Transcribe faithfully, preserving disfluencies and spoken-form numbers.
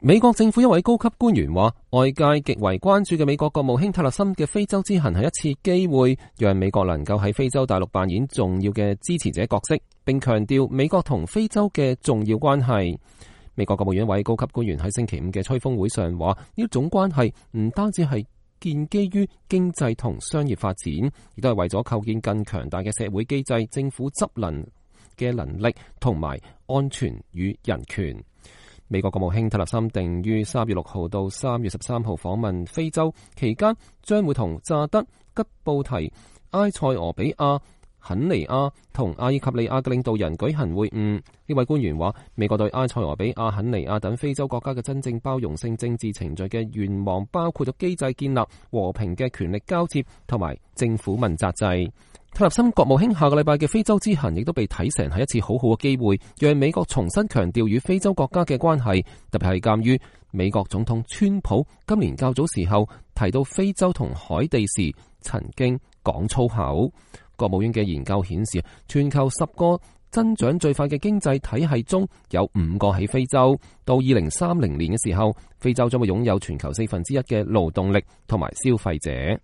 美國政府一位高級官員話，外界極為關注嘅美國國務卿塔勒森嘅非洲之行係一次機會，讓美國能夠喺非洲大陸扮演重要嘅支持者角色，並強調美國同非洲嘅重要關係。美國國務院一位高級官員喺星期五嘅吹風會上話，呢種關係唔單止係建基於經濟同商業發展，亦都係為咗構建更強大嘅社會機制、政府執能嘅能力同埋安全與人權。美國國務卿塔勒森定於三月六號到三月十三號訪問非洲，期間將會同乍得、吉布提、埃塞俄比亞、肯尼亞同阿爾及利亞嘅領導人舉行會晤。呢位官員話，美國對埃塞俄比亞、肯尼亞等非洲國家嘅真正包容性政治程序嘅願望，包括咗機制建立和平嘅權力交接同埋政府問責制。塔勒森國務卿下個禮拜嘅非洲之行亦都被睇成係一次好好嘅機會，讓美國重新強調與非洲國家嘅關係，特別係鑒於美國總統川普今年較早時候提到非洲同海地時曾經講粗口。國務院嘅研究顯示，全球十個增長最快嘅經濟體系中有五個喺非洲，到二零三零年嘅時候，非洲將會擁有全球四分之一嘅勞動力同埋消費者。